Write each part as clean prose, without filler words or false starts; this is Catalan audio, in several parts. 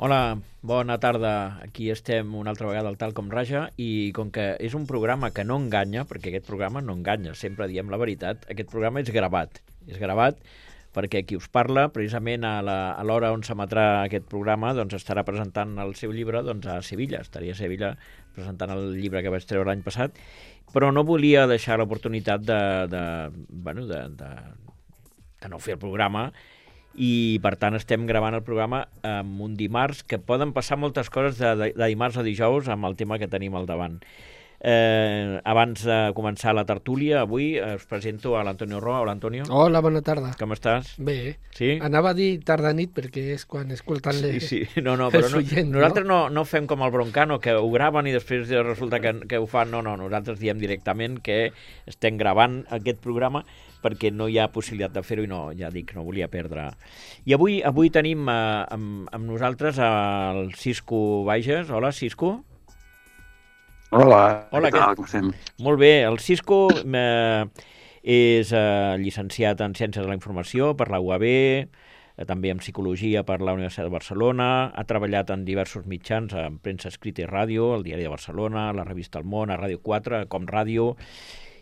Hola, bona tarda. Aquí estem una altra vegada al Tal com Raja i com que és un programa que no enganya, perquè aquest programa no enganya, sempre diem la veritat, aquest programa és gravat. És gravat perquè qui us parla, precisament a l'hora on s'emetrà aquest programa, doncs estarà presentant el seu llibre a Sevilla. Estaria a Sevilla presentant el llibre que vaig treure l'any passat, però no volia deixar l'oportunitat de no fer el programa i per tant estem gravant el programa en un dimarts, que poden passar moltes coses de dimarts a dijous amb el tema que tenim al davant. Abans de començar la tertúlia, avui us presento a l'Antonio Roa. Hola, Antonio. Hola, bona tarda. Com estàs? Bé. Sí? Anava a dir tarda-nit perquè és quan escolten Sí. No, però oients, nosaltres no fem com el Broncano, que ho graven i després resulta que ho fan. No, nosaltres diem directament que estem gravant aquest programa perquè no hi ha possibilitat de fer-ho i no, ja dic, no volia perdre. I avui tenim amb nosaltres el Cisco Bages. Hola, Cisco. Hola, Hola, què tal, com estem? Molt bé, el Cisco és llicenciat en Ciències de la Informació per la UAB, també en Psicologia per la Universitat de Barcelona, ha treballat en diversos mitjans, en premsa escrita i ràdio, el Diari de Barcelona, la revista El Món, a Ràdio 4, Com Ràdio,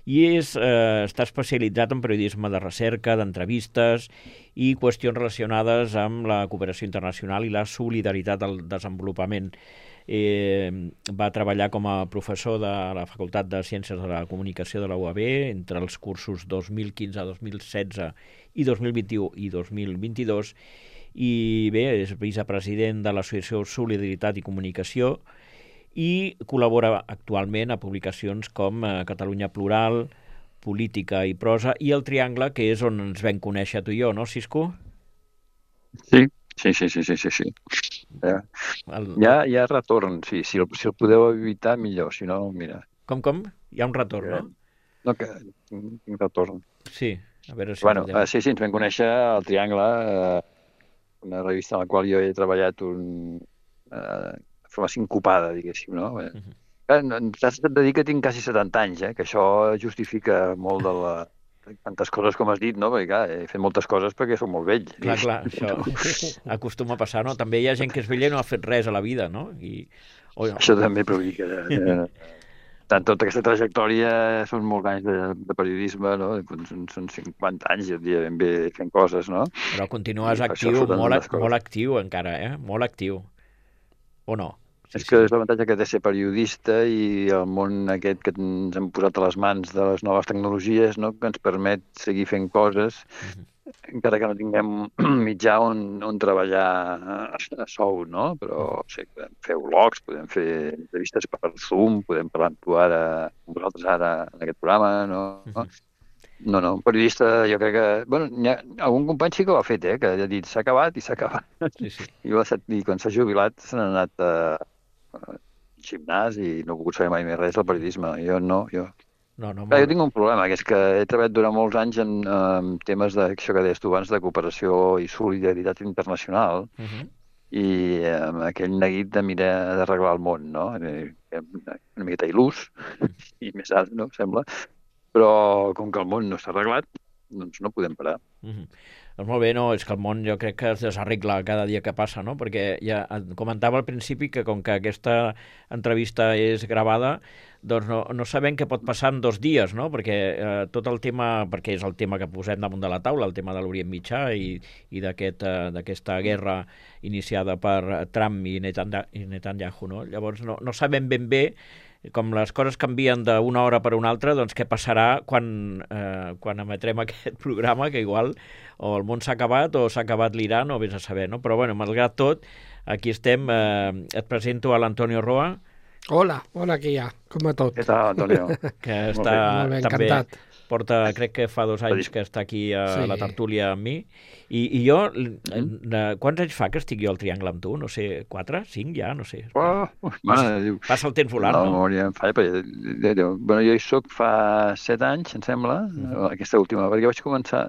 i està especialitzat en periodisme de recerca, d'entrevistes i qüestions relacionades amb la cooperació internacional i la solidaritat al desenvolupament. Va treballar com a professor de la Facultat de Ciències de la Comunicació de la UAB entre els cursos 2015, 2016 i 2021 i 2022 i bé, és vicepresident de l'Associació Solidaritat i Comunicació i col·labora actualment a publicacions com Catalunya Plural, Política i Prosa i El Triangle, que és on ens vam conèixer tu i jo, no, Cisco? Sí. Hi ha retorn, sí. Si el podeu evitar, millor. Si no, mira. Com? Hi ha un retorn, no? No, que tinc retorn. Sí, a veure si... Sí, ens vam conèixer al Triangle, una revista en la qual jo he treballat de forma sincopada, diguéssim, no? T'has de dir que tinc quasi 70 anys, que això justifica molt de tantes coses com has dit, no? Perquè, clar, he fet moltes coses perquè soc molt vell. Clar, això acostuma a passar, no? També hi ha gent que és vella i no ha fet res a la vida, no? Això també, però vull dir que tant tota aquesta trajectòria són molts anys de periodisme, no? Són 50 anys, jo diria, ben bé fent coses, no? Però continues actiu, molt actiu encara, molt actiu. O no? És que és l'avantatge que té ser periodista i el món aquest que ens hem posat a les mans de les noves tecnologies, no? Que ens permet seguir fent coses, encara que no tinguem mitjà on treballar a sou, no? Però podem fer vlogs, podem fer entrevistes per Zoom, podem parlar amb tu ara, amb vosaltres ara en aquest programa, no? No, un periodista, jo crec que... algun company sí que ho ha fet, que ha dit s'ha acabat i s'ha acabat. Sí. I quan s'ha jubilat se n'ha anat al gimnàs i no he pogut saber mai més res del periodisme. Jo no. Jo tinc un problema, que és que he treballat durant molts anys en temes d'això que deies tu abans, de cooperació i solidaritat internacional, i amb aquell neguit de mirar d'arreglar el món, no? Una miqueta il·lús, i més alt, no? Sembla. Però com que el món no està arreglat, doncs no podem parar. Doncs molt bé, no, és que el món jo crec que es desarregla cada dia que passa, no? Perquè ja comentava al principi que com que aquesta entrevista és gravada, doncs no sabem què pot passar en 2 dies, no? Perquè tot el tema, perquè és el tema que posem damunt de la taula, el tema de l'Orient Mitjà i d'aquesta guerra iniciada per Trump i Netanyahu, no? Llavors no sabem ben bé, com les coses canvien d'una hora per una altra, doncs què passarà quan emetrem aquest programa, que igual o el món s'ha acabat o s'ha acabat l'Iran o vés a saber, no? Però bueno, malgrat tot, aquí estem. Et presento a l'Antonio Roa. Hola, què hi ha? Com a tot? Què tal, Antonio? Que està molt bé, també... encantat. Porta, crec que fa 2 anys que està aquí a la tertúlia amb mi. I jo, quants anys fa que estic jo al Triangle amb tu? No sé, 4, 5 ja? No sé. Passa el temps volant, no? La memòria em falla, perquè jo hi soc fa 7 anys, em sembla, aquesta última, perquè vaig començar...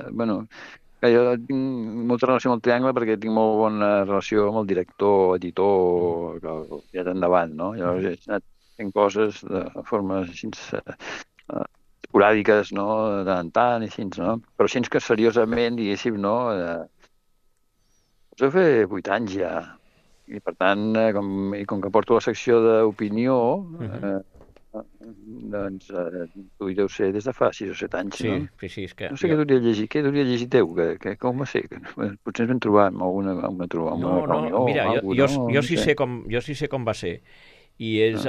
Jo tinc molta relació amb el Triangle perquè tinc molt bona relació amb el director, editor, que ja endavant, no? Llavors he anat fent coses de forma així... esporàdiques, no? De tant en tant, així, no? Però així que seriosament, diguéssim, no? Us heu fet 8 anys ja. I per tant, com que porto la secció d'opinió, doncs tu hi deu ser des de fa 6 o 7 anys, no? Sí, és que... No sé què duria llegir teu, com va ser? Potser ens vam trobar en alguna reunió mira, o alguna cosa, no? jo sí sé com va ser. I és...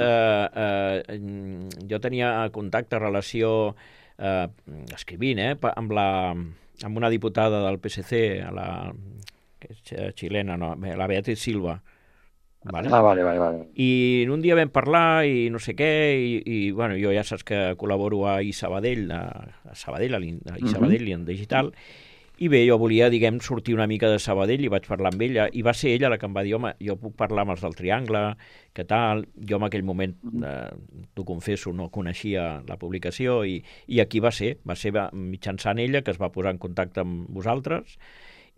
jo tenia contacte, relació, escrivint, amb una diputada del PSC, que és xilena, no, la Beatriz Silva. Vale? Vale. I un dia vam parlar i no sé què, i bueno, jo ja saps que col·laboro a iSabadell, a iSabadell i en digital, i bé, jo volia, diguem, sortir una mica de Sabadell i vaig parlar amb ella, i va ser ella la que em va dir, home, jo puc parlar amb els del Triangle, què tal? Jo en aquell moment, t'ho confesso, no coneixia la publicació, i aquí va ser mitjançant ella que es va posar en contacte amb vosaltres,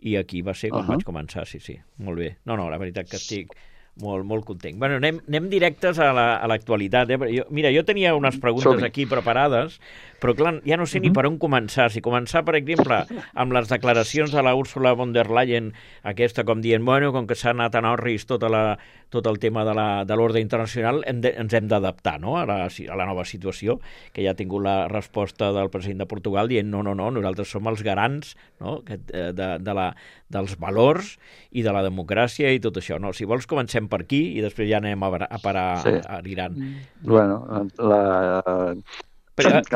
i aquí va ser quan vaig començar, sí, molt bé. No, la veritat que estic molt content. Bueno, anem directes a l'actualitat. Mira, jo tenia unes preguntes aquí preparades, però clar, ja no sé ni per on començar. Si començar, per exemple, amb les declaracions de la Ursula von der Leyen, aquesta com dient, bueno, com que s'ha anat a Norris tot el tema de l'ordre internacional, ens hem d'adaptar, no?, a la nova situació, que ja ha tingut la resposta del president de Portugal dient no, nosaltres som els garants, no?, dels valors i de la democràcia i tot això. No? Si vols, comencem per aquí i després ja anem a parar a l'Iran. Bueno, clar,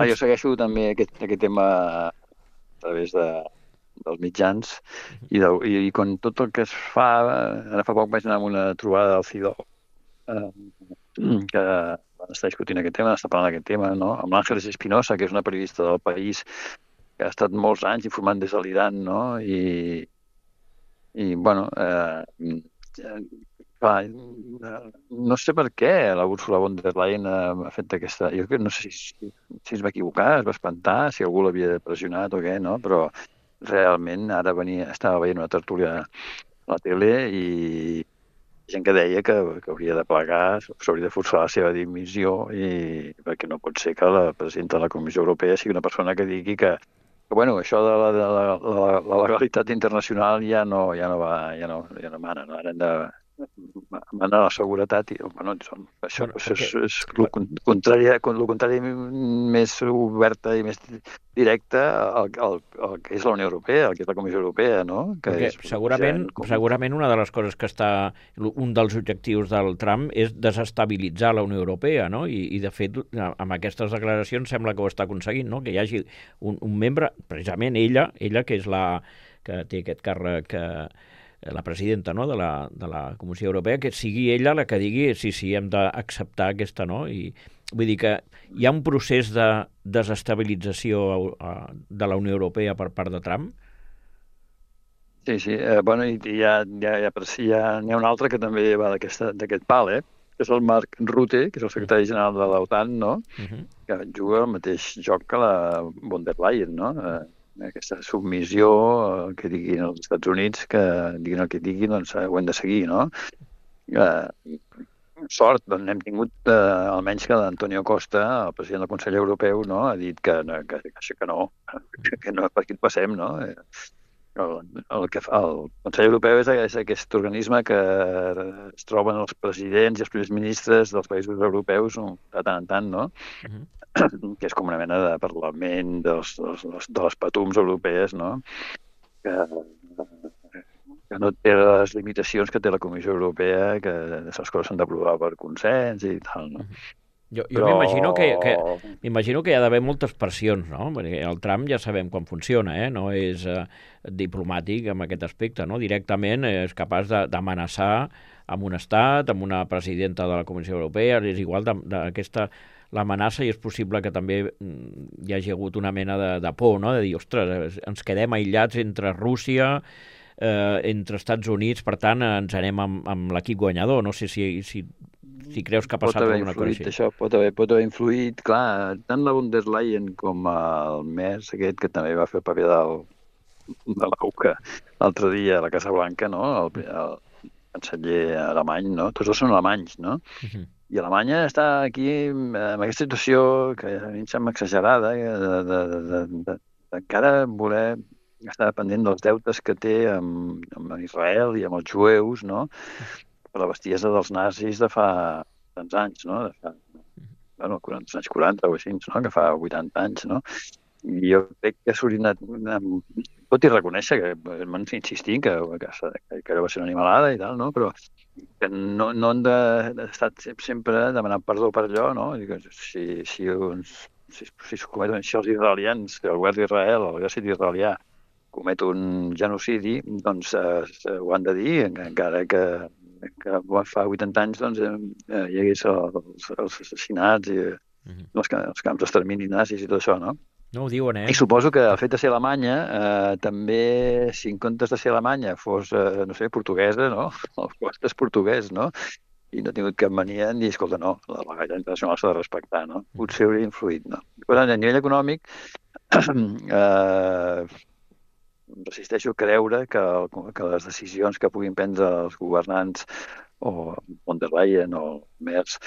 jo segueixo també aquest tema a través dels mitjans i quan tot el que es fa... Ara fa poc vaig anar a una trobada del CIDO que van estar discutint aquest tema, està parlant d'aquest tema, no? Amb l'Àngeles Espinosa, que és una periodista del País que ha estat molts anys informant des de l'Iran, no? I bueno, clar, no sé per què la Ursula von der Leyen ha fet aquesta... Jo no sé si es va equivocar, es va espantar, si algú l'havia pressionat o què, no? Però realment ara estava veient una tertúlia a la tele i gent que deia que hauria de plegar, s'hauria de forçar la seva dimissió, perquè no pot ser que la presidenta de la Comissió Europea sigui una persona que digui que bueno, això de la legalitat internacional ja no mana, no? Ara hem de manar la seguretat i bueno, això és el contrari més oberta i més directa al que és la Unió Europea, al que és la Comissió Europea, no? Segurament una de les coses que un dels objectius del Trump és desestabilitzar la Unió Europea, no? I de fet, amb aquestes declaracions sembla que ho està aconseguint, no? Que hi hagi un membre, precisament ella que és que té aquest càrrec, la presidenta, no?, de la Comissió Europea, que sigui ella la que digui sí, hem d'acceptar aquesta, no? I vull dir que hi ha un procés de desestabilització de la Unió Europea per part de Trump? Sí. Bueno, i n'hi ha un altre que també va d'aquest pal, que és el Mark Rutte, que és el secretari general de l'OTAN, no? Que juga el mateix joc que la von der Leyen, no? Aquesta submissió que diguin els Estats Units, que diguin el que diguin, doncs ho hem de seguir, no? Sort, doncs hem tingut almenys que l'Antonio Costa, el president del Consell Europeu, no? Ha dit que no, per aquí et passem, no? El Consell Europeu és aquest organisme que es troben els presidents i els primers ministres dels països europeus de tant en tant, no? Que és com una mena de parlament de les patums europees, no? Que no té les limitacions que té la Comissió Europea, que les coses s'han d'aprovar per consens i tal, no? Jo m'imagino que hi ha d'haver moltes pressions, no? Perquè el Trump ja sabem com funciona, no és diplomàtic en aquest aspecte, no? Directament és capaç d'amenaçar amb un estat, amb una presidenta de la Comissió Europea, és igual d'aquesta l'amenaça, i és possible que també hi hagi hagut una mena de por, no? De dir, ostres, ens quedem aïllats entre Rússia, entre Estats Units, per tant, ens anem amb l'equip guanyador. No sé si creus que ha passat alguna cosa així. Això pot haver influït, clar, tant la von der Leyen com el Merz, aquest que també va fer el paper de l'AUCA l'altre dia a la Casa Blanca, no? El canceller alemany, no? Tots dos són alemanys, no? I Alemanya està aquí en aquesta situació que a mi em sembla exagerada, d'encara voler estar pendent dels deutes que té amb Israel i amb els jueus, no? per la bestiesa dels nazis de fa tants anys, no? De fa, bueno, als anys 40 o així, no? Que fa 80 anys, no? I jo crec que s'hauria anat... Tot i reconèixer que m'han insistit que allò va ser una animalada i tal, no? Però que no han d'estar sempre demanant perdó per allò, no? I que si es cometen així els israelians, que el govern d'Israel, el exèrcit israelià, comet un genocidi, doncs ho han de dir, encara que fa 80 anys doncs, hi hagués els assassinats i els camps d'extermini nazis i tot això, no? No ho diuen, I suposo que el fet de ser Alemanya, també, si en comptes de ser Alemanya fos, no sé, portuguesa, no? El cost és portuguès, no? I no ha tingut cap mania en dir, escolta, no, la legalitat internacional s'ha de respectar, no? Potser hauria influït, no? Per tant, a nivell econòmic, resisteixo a creure que les decisions que puguin prendre els governants o von der Leyen o Merz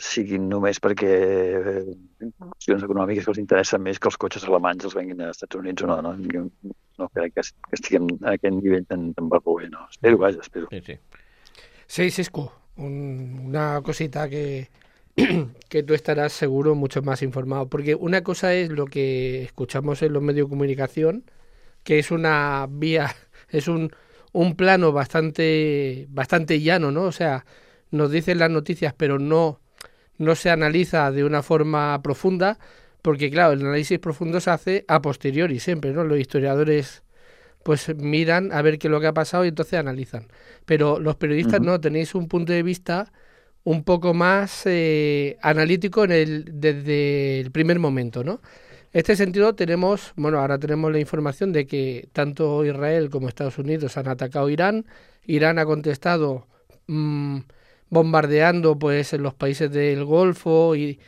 siguin només perquè qüestions econòmiques que els interessen més que els cotxes alemanys els venguin als Estats Units o no, no? Jo no crec que estiguem a aquest nivell tan barroer, no? Espero, vaja, espero. Sí, Cisco, una cosita que tú estarás seguro mucho más informado, porque una cosa es lo que escuchamos en los medios de comunicación, que es una vía, es un plano bastante llano, ¿no? O sea, nos dicen las noticias, pero no se analiza de una forma profunda, porque claro, el análisis profundo se hace a posteriori siempre, ¿no? Los historiadores pues miran a ver qué es lo que ha pasado y entonces analizan. Pero los periodistas no, tenéis un punto de vista un poco más analítico desde el primer momento, ¿no? En este sentido tenemos, bueno, ahora tenemos la información de que tanto Israel como Estados Unidos han atacado Irán. Irán ha contestado bombardeando pues en los países del Golfo, y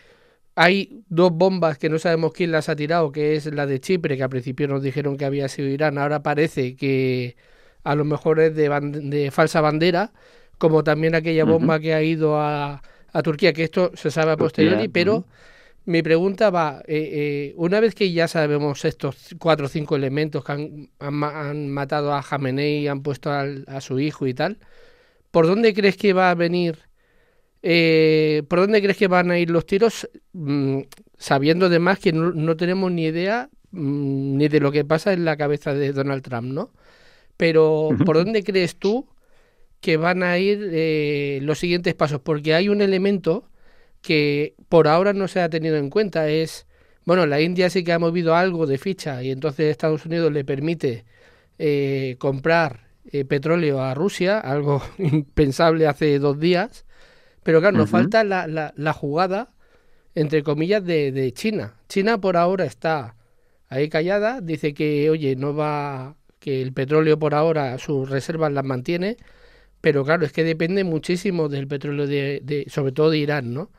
hay dos bombas que no sabemos quién las ha tirado, que es la de Chipre, que al principio nos dijeron que había sido Irán, ahora parece que a lo mejor es de falsa bandera, como también aquella bomba que ha ido a Turquía, que esto se sabe a posteriori, pero mi pregunta va, una vez que ya sabemos estos 4 o 5 elementos que han matado a Jamenei y han puesto a su hijo y tal, ¿por dónde crees que va a venir? ¿Por dónde crees que van a ir los tiros? Sabiendo además que no tenemos ni idea ni de lo que pasa en la cabeza de Donald Trump, ¿no? Pero ¿por dónde crees tú que van a ir los siguientes pasos? Porque hay un elemento que por ahora no se ha tenido en cuenta, es, bueno, la India sí que ha movido algo de ficha y entonces Estados Unidos le permite comprar petróleo a Rusia, algo impensable hace 2 días, pero claro, nos falta la jugada, entre comillas, de China. China por ahora está ahí callada, dice que, oye, no va, que el petróleo por ahora, sus reservas las mantiene, pero claro, es que depende muchísimo del petróleo sobre todo de Irán, ¿no?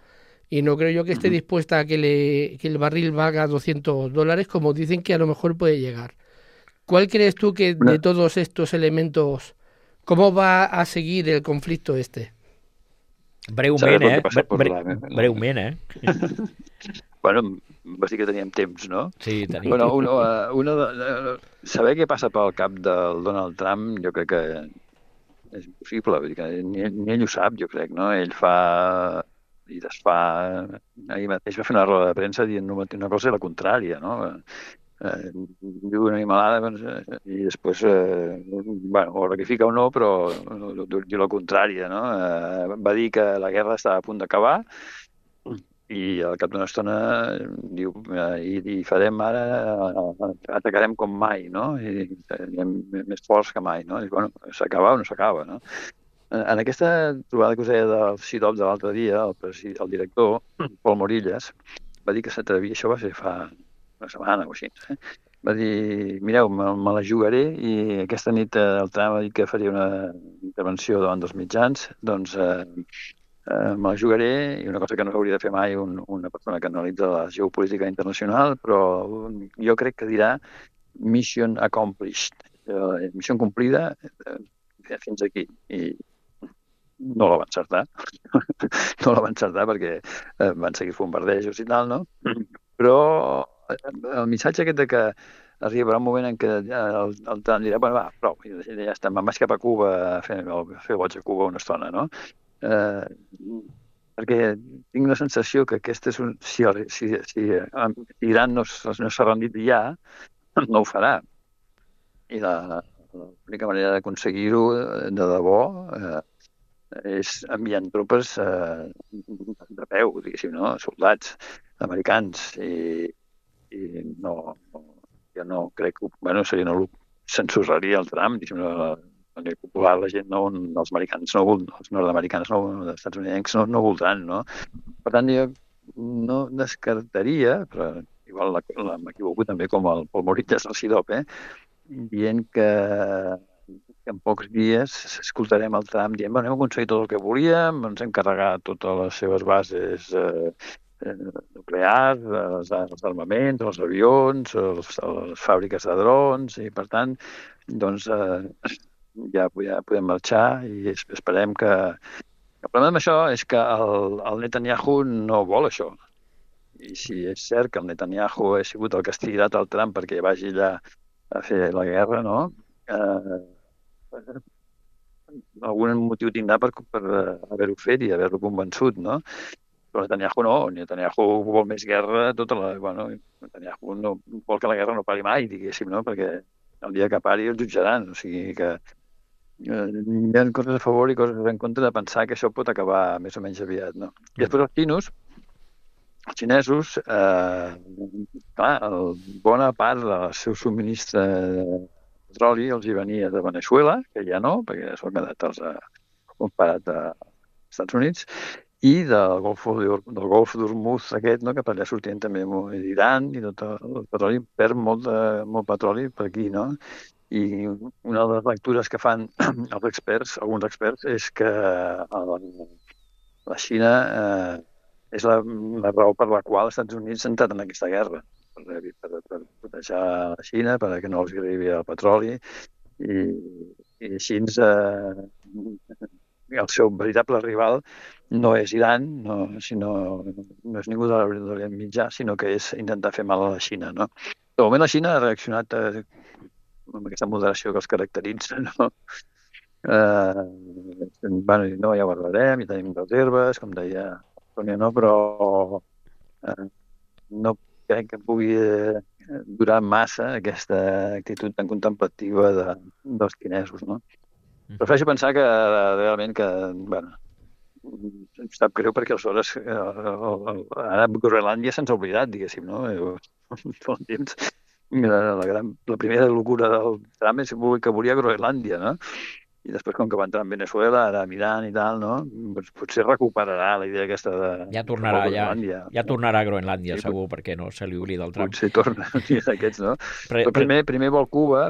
Y no creo yo que esté dispuesta a que el barril valga $200, como dicen que a lo mejor puede llegar. ¿Cuál crees tú que de todos estos elementos, cómo va a seguir el conflicto este? Breument, breument, Bueno, vas dir que teníem temps, no? Sí, tenim. Bueno, saber què passa pel cap del Donald Trump jo crec que és impossible, vull dir que ni ell ho sap, jo crec, no? Ell fa i desfà... Ahir mateix va fer una roda de premsa dient una cosa i la contrària, no? Diu una animalada i després, bueno, o rectifica o no, però diu la contrària, no? Va dir que la guerra estava a punt d'acabar i al cap d'una estona diu i farem ara, atacarem com mai, no? I serem més forts que mai, no? I bueno, s'acaba o no s'acaba, no? En aquesta trobada que us deia del CIDOB de l'altre dia, el director, Pol Morillas, va dir que s'atrevia, això va ser fa una setmana o així, va dir, mireu, me la jugaré i aquesta nit el Trump ha dit que faria una intervenció davant dels mitjans, doncs me la jugaré, i una cosa que no s'hauria de fer mai una persona que analitza la geopolítica internacional, però jo crec que dirà mission accomplished, missió complida fins aquí, i no la van encertar, no la van encertar perquè van seguir bombardejos i tal, no? Però el missatge aquest de que arribarà un moment en què el Trump dirà, bueno, va, prou, ja està, me'n vaig cap a Cuba a fer el boig a Cuba una estona, no? Perquè tinc la sensació que aquesta és si Iran no s'ha rendit ja, no ho farà. I l'única manera d'aconseguir-ho de debò és enviant tropes de peu, diguéssim, no? Soldats americans. I no, jo no crec que... Bueno, seria no censurraria el Trump, diguéssim, a nivell popular la gent no, els americans no, els nord-americans no, els estats-unidencs no voldran, no? Per tant, jo no descartaria, però igual m'equivoco també com el Pol Moritas al CIDOP, dient que en pocs dies escoltarem el Trump dient, bueno, hem aconseguit tot el que volíem, ens hem carregat totes les seves bases nuclears, els armaments, els avions, les fàbriques de drons, i per tant, doncs, ja podem marxar i esperem que... El problema amb això és que el Netanyahu no vol això. I si és cert que el Netanyahu ha sigut el que ha estirat el Trump perquè vagi allà a fer la guerra, no? Algun motiu tindrà per haver-ho fet i haver-lo convençut, no? Però Netanyahu no. Netanyahu vol més guerra. Netanyahu no vol que la guerra no pari mai, diguéssim, no? Perquè el dia que pari el jutjaran. O sigui que hi ha coses a favor i coses en contra de pensar que això pot acabar més o menys aviat, no? I després els xinesos, clar, bona part del seu subministre de petroli els hi venia de Venezuela, que ja no, perquè s'ho han quedat comparat als Estats Units, i del Golf d'Hormuz aquest, no, que per allà sortien també d'Iran, i tot el petroli perd molt petroli per aquí, no? I una de les lectures que fan els experts, alguns experts, és que la Xina és la raó per la qual els Estats Units s'han entrat en aquesta guerra, per proteger la Xina, perquè no els arribi el petroli, i així el seu veritable rival no és Iran, no és ningú de l'Orient Mitjà, sinó que és intentar fer mal a la Xina, no? De moment la Xina ha reaccionat amb aquesta moderació que els caracteritza, no? No, ja ho arreglarem, ja tenim reserves, com deia Tònia, no? Però no crec que pugui durar massa aquesta actitud tan contemplativa dels xinesos, no? Prefereixo pensar que realment que, bueno, em sap greu perquè aleshores ara Groenlàndia se'ns ha oblidat, diguéssim, no? Tot el temps. La primera locura del Trump és que volia Groenlàndia, no? I després, com que va entrar en Venezuela, ara mirant i tal, no? Potser recuperarà la idea aquesta de... Ja tornarà a Groenlàndia, sí, segur, perquè no se li oblida el Trump. Potser torna un dia d'aquests, no? Però primer vol Cuba,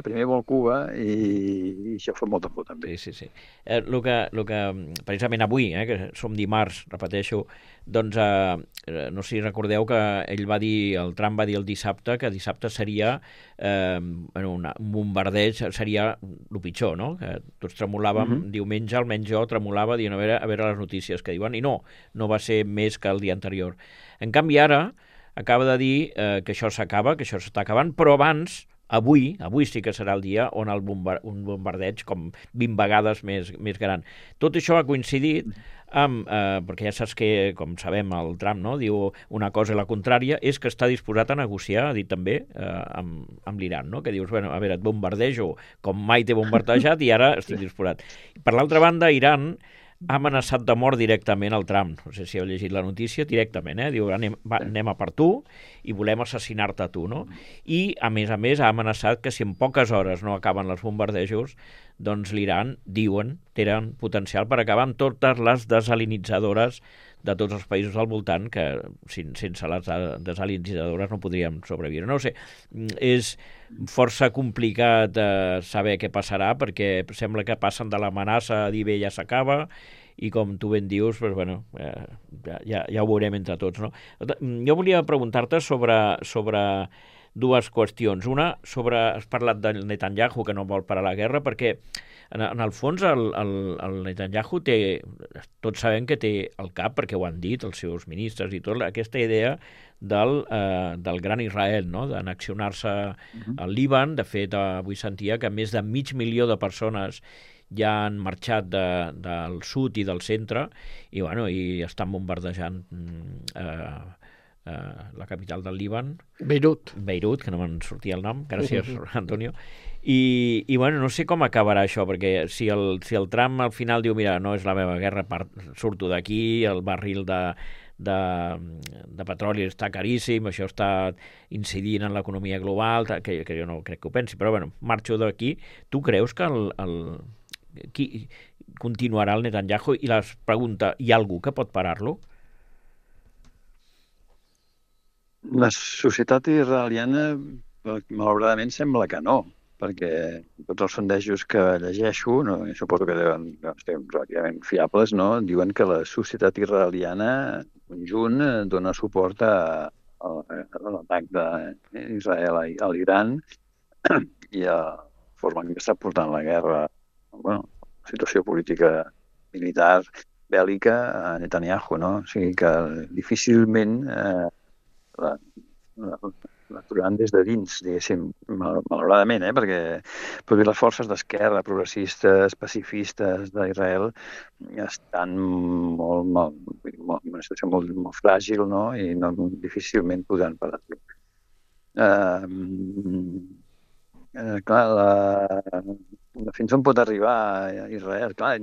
i això fa molta por, també. Sí. El que precisament avui, que som dimarts, repeteixo, doncs no sé si recordeu que el Trump va dir el dissabte que dissabte seria un bombardeig, seria el pitjor, no? Que tots tremolàvem, diumenge almenys jo tremolava dient a veure les notícies que diuen, i no va ser més que el dia anterior. En canvi ara acaba de dir que això s'acaba, que això s'està acabant, però abans, avui sí que serà el dia on un bombardeig com 20 vegades més gran. Tot això ha coincidit perquè ja saps que, com sabem, el Trump, no, diu una cosa i la contrària, és que està disposat a negociar, ha dit també, amb l'Iran, no? Que dius, bueno, a veure, et bombardejo com mai t'he bombardejat i ara estic disposat. Per l'altra banda, Iran ha amenaçat de mort directament el Trump. No sé si heu llegit la notícia, directament, diu, anem a per tu i volem assassinar-te a tu, no? I, a més, ha amenaçat que si en poques hores no acaben els bombardejos, doncs l'Iran, diuen, tenen potencial per acabar amb totes les desalinitzadores de tots els països al voltant, que sense les desalinitzadores no podríem sobreviure. No ho sé, és força complicat saber què passarà, perquè sembla que passen de l'amenaça a dir bé, ja s'acaba, i com tu ben dius, doncs, bueno, ja ho veurem entre tots, no? Jo volia preguntar-te sobre dues qüestions. Una, has parlat del Netanyahu, que no vol parar la guerra, perquè en el fons el Netanyahu té, tots sabem que té al cap, perquè ho han dit els seus ministres i tot, aquesta idea del gran Israel, no? D'annexionar-se al Líban. De fet, avui sentia que més de 500.000 de persones ja han marxat del sud i del centre i, bueno, i estan bombardejant la capital del Líban. Beirut, que no me'n sortia el nom. Gràcies, Antonio. I bueno, no sé com acabarà això, perquè si el Trump al final diu, mira, no és la meva guerra, surto d'aquí, el barril de petroli està caríssim, això està incidint en l'economia global, que jo no crec que ho pensi, però bueno, marxo d'aquí. Tu creus que qui continuarà el Netanyahu? I la pregunta, hi ha algú que pot parar-lo? La societat israeliana, malauradament, sembla que no, perquè tots els sondejos que llegeixo, no, suposo que deuen ser relativament fiables, no, diuen que la societat israeliana en conjunt dona suport a l'atac d'Israel a l'Iran i a la forma en què està portant la guerra, bueno, la situació política militar bèl·lica a Netanyahu, no? O sigui que difícilment l'aturaran des de dins, diguéssim, malauradament, perquè les forces d'esquerra, progressistes, pacifistes d'Israel estan en una situació molt fràgil, no? I difícilment podran parar-lo. Fins on pot arribar a Israel? Clar,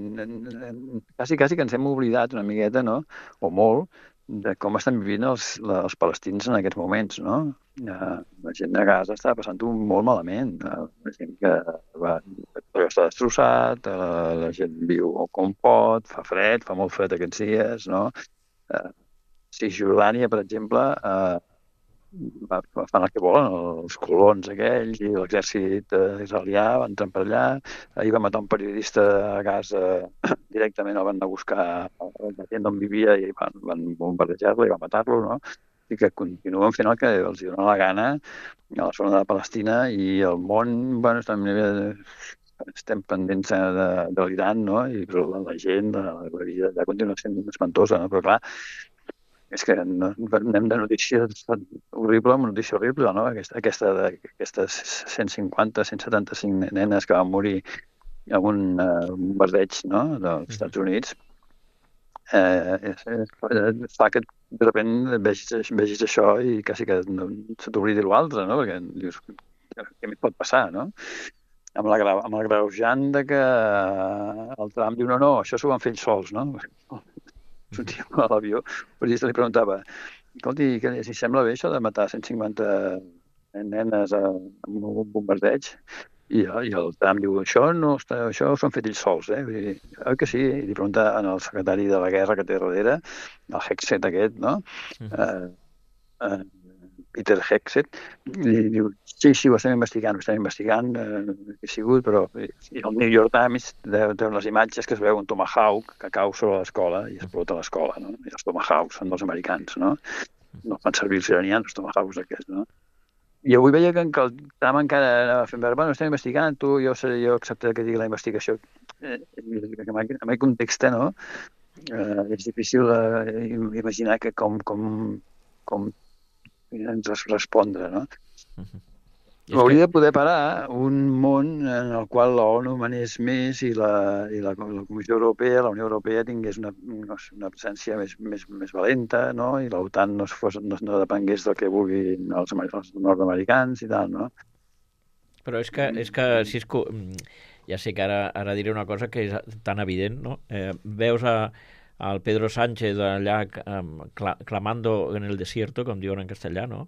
quasi que ens hem oblidat una miqueta, no? O molt, de com estan vivint els palestins en aquests moments, no? La gent de Gaza està passant-ho molt malament. La gent que està destrossat, la gent viu com pot, fa fred, fa molt fred aquests dies, no? Cisjordània, per exemple, fan el que volen, els colons aquells i l'exèrcit israelià van entrar per allà. Ahir va matar un periodista a Gaza, directament el van anar a buscar la gent on vivia i van bombardejar-lo i van matar-lo, no? I que continuen fent el que els dona la gana a la zona de Palestina i el món, bueno, estem pendents de l'Iran, no? I la gent, la vida allà continua sent espantosa, no? Però clar, és que anem de notícia horrible amb notícia horrible, no? Aquestes 150, 175 nenes que van morir en un bombardeig, no? Dels Estats Units, fa que de sobte vegis això i quasi que se t'oblidi l'altre, no? Perquè dius, què més pot passar, no? Amb l'agreujant de que el Trump diu, no, això s'ho van fer ells sols, no? Sortia a l'avió, el periodista li preguntava, escolti, si sembla bé això de matar 150 nenes amb un bombardeig? I el Trump diu, això s'ho han fet ells sols, Vull dir, que sí? I li pregunta al secretari de la guerra que té darrere, el Hegseth aquest, no? Peter Hegseth, i diu, sí, ho estem investigant, he sigut, però... I el New York Times té les imatges que es veu un tomahawk que cau sobre l'escola i explota l'escola, no? I els tomahawks són dels americans, no? No fan servir els iranians, els tomahawks aquests, no? I avui veia que el Trump encara anava fent veure, bueno, estem investigant, jo acceptaré que digui la investigació. En aquest context, no? És difícil imaginar que com ens respondre, no? Hauria de poder parar un món en el qual l'ONU manés més i la Comissió Europea, la Unió Europea tingués una presència més valenta, no? I l'OTAN no depengués del que vulguin els nord-americans i tal, no? Però és que Cisco, ja sé que ara diré una cosa que és tan evident, no? Veus al Pedro Sánchez allà clamando en el desierto, com diuen en castellà, no?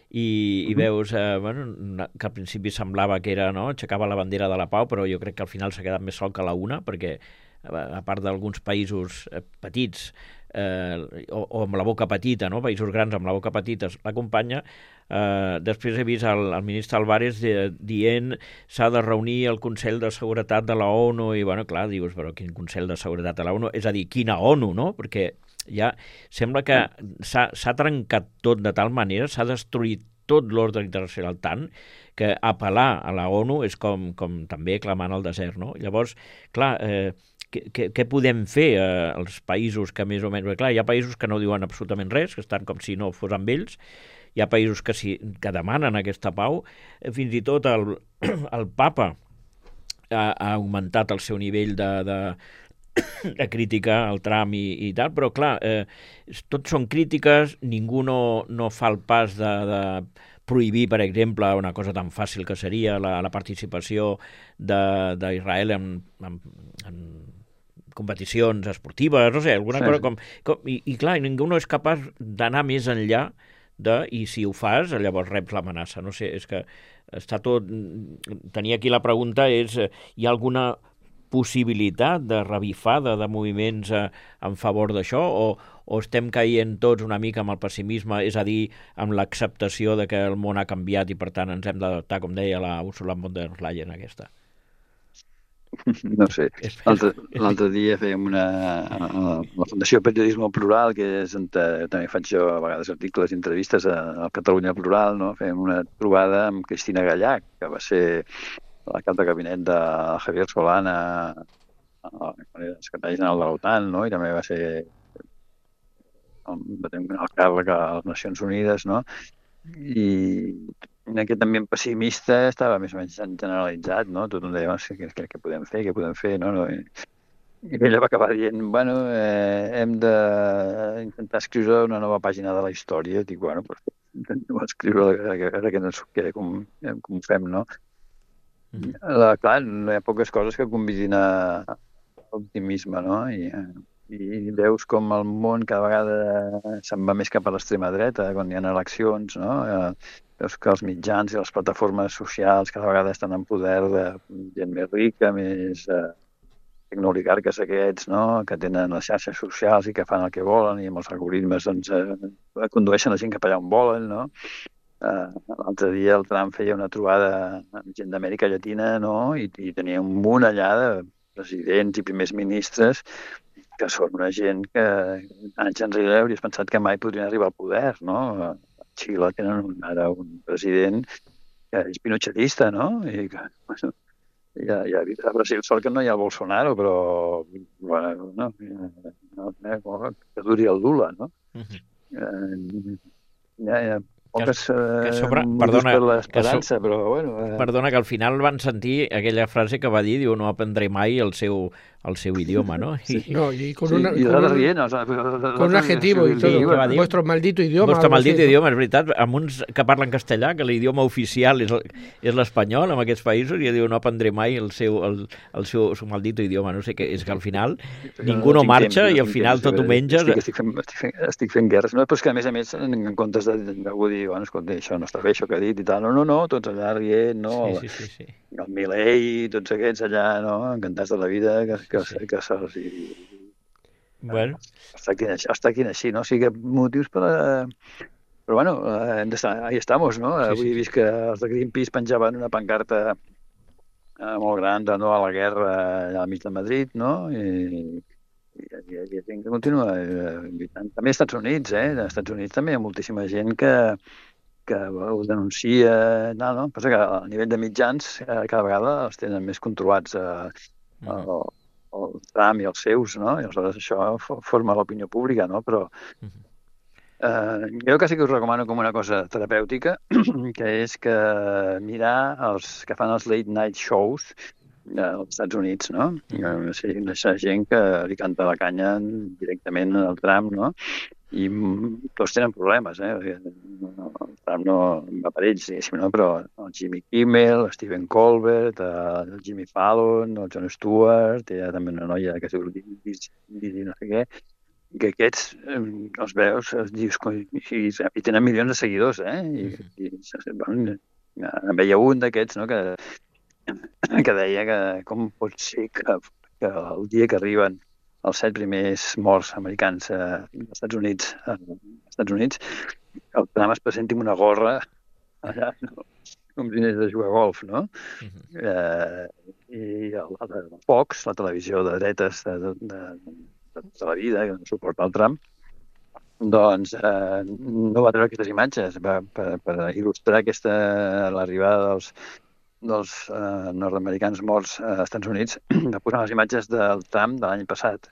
I veus que al principi semblava que era, no? Aixecava la bandera de la pau, però jo crec que al final s'ha quedat més sol que la una, perquè a part d'alguns països petits o amb la boca petita, no? Països grans amb la boca petita l'acompanya. Després he vist el ministre Álvarez dient s'ha de reunir el Consell de Seguretat de la ONU i, bueno, clar, dius, però quin Consell de Seguretat de la ONU? És a dir, quina ONU, no? Perquè ja sembla que s'ha trencat tot de tal manera, s'ha destruït tot l'ordre internacional tant, que apel·lar a la ONU és com també clamant al desert, no? Llavors, clar, què podem fer als països que més o menys... Clar, hi ha països que no diuen absolutament res, que estan com si no fos amb ells, hi ha països que demanen aquesta pau, fins i tot el papa ha augmentat el seu nivell de crítica al Trump i tal, però clar, tots són crítiques, ningú no fa el pas de prohibir, per exemple, una cosa tan fàcil que seria la participació d'Israel en competicions esportives, no sé, alguna cosa com... I clar, ningú no és capaç d'anar més enllà i si ho fas, llavors reps l'amenaça. No sé, és que està tot... Tenia aquí la pregunta és, hi ha alguna possibilitat de revifada de moviments en favor d'això o estem caient tots una mica amb el pessimisme, és a dir, amb l'acceptació de que el món ha canviat i per tant ens hem d'adaptar, com deia la Ursula von der Leyen aquesta? No sé. L'altre dia fèiem la Fundació Periodisme Plural, que és on també faig jo a vegades articles i entrevistes al Catalunya Plural, no? Fèiem una trobada amb Cristina Gallach, que va ser la cap de gabinet de Javier Solana, el secretari general de l'OTAN, no? I també va ser el càrrec a les Nacions Unides, no? I en aquest ambient pessimista estava més o menys generalitzat, no? Tothom deia, què podem fer, no? I ella va acabar dient, bueno, hem d'intentar escriure una nova pàgina de la història. Dic, bueno, pues, intentem escriure com ho fem, no? Clar, no hi ha poques coses que convidin a l'optimisme, no? I veus com el món cada vegada se'n va més cap a l'extrema dreta quan hi ha eleccions, no? Veus que els mitjans i les plataformes socials cada vegada estan en poder de gent més rica, més tecnooligarques aquests, no? Que tenen les xarxes socials i que fan el que volen i amb els algoritmes doncs, condueixen la gent cap allà on volen, no? L'altre dia el Trump feia una trobada amb gent d'Amèrica Llatina, no? I tenia un munt allà de presidents i primers ministres que són una gent que anys enrere hauries pensat que mai podrien arribar al poder, no? A Xile tenen ara un president que és pinochetista, no? I que, bueno, a Brasil sort que no hi ha el Bolsonaro, però bueno, que duri el Lula, no? Hi ha poques motius per l'esperança, però bueno... Perdona, que al final van sentir aquella frase que va dir, diu, no aprendré mai el seu idioma, ¿no? Sí. No, y con un adjetivo y todo. Vuestro maldito idioma. Vuestro maldito idioma, és veritat. Amb uns que parlen castellà, que l'idioma oficial és l'espanyol, en aquests països, i diu, no aprendré mai el seu maldito idioma. No sé què, és que al final ningú no marxa i al final tot ho menges... Estic fent guerres, no? Però és que a més, en comptes d'algú dir, bueno, escolta, això no està bé, això que ha dit i tal, no, tots allà rient, no? Sí. El Milei, tots aquests allà, no? Encantats de la vida, que se'ls... Bueno. Està aquí així, no? O sigui que motius per... Però bueno, hem d'estar... Ahí estamos, no? Avui he vist que els de Greenpeace penjaven una pancarta molt gran de no a la guerra allà al mig de Madrid, no? I hi ha gent que continua lluitant. També als Estats Units, Als Estats Units també hi ha moltíssima gent que ho denuncia, no? Passa que a nivell de mitjans cada vegada els tenen més controlats el Trump i els seus, no? I aleshores això forma l'opinió pública, no? Però jo quasi que us recomano com una cosa terapèutica, que és que mirar els que fan els late night shows als Estats Units, no? Aquesta gent que li canta la canya directament al Trump, no? I tots tenen problemes, El Trump no va per ells, diguéssim, no? Però el Jimmy Kimmel, el Stephen Colbert, el Jimmy Fallon, el Jon Stewart, hi ha també una noia que es diu Lizzie no sé què, i que aquests els veus, els dius, i tenen milions de seguidors, en veia un d'aquests, no?, que deia que com pot ser que el dia que arriben els 7 primers morts americans als Estats Units, el Trump es presenti amb una gorra allà, no? Com si anés a jugar a golf, no? I el Fox, la televisió de dretes de la vida, que no suporta el Trump, Doncs no va treure aquestes imatges per il·lustrar l'arribada dels nord-americans morts als Estats Units, va posar les imatges del tram de l'any passat,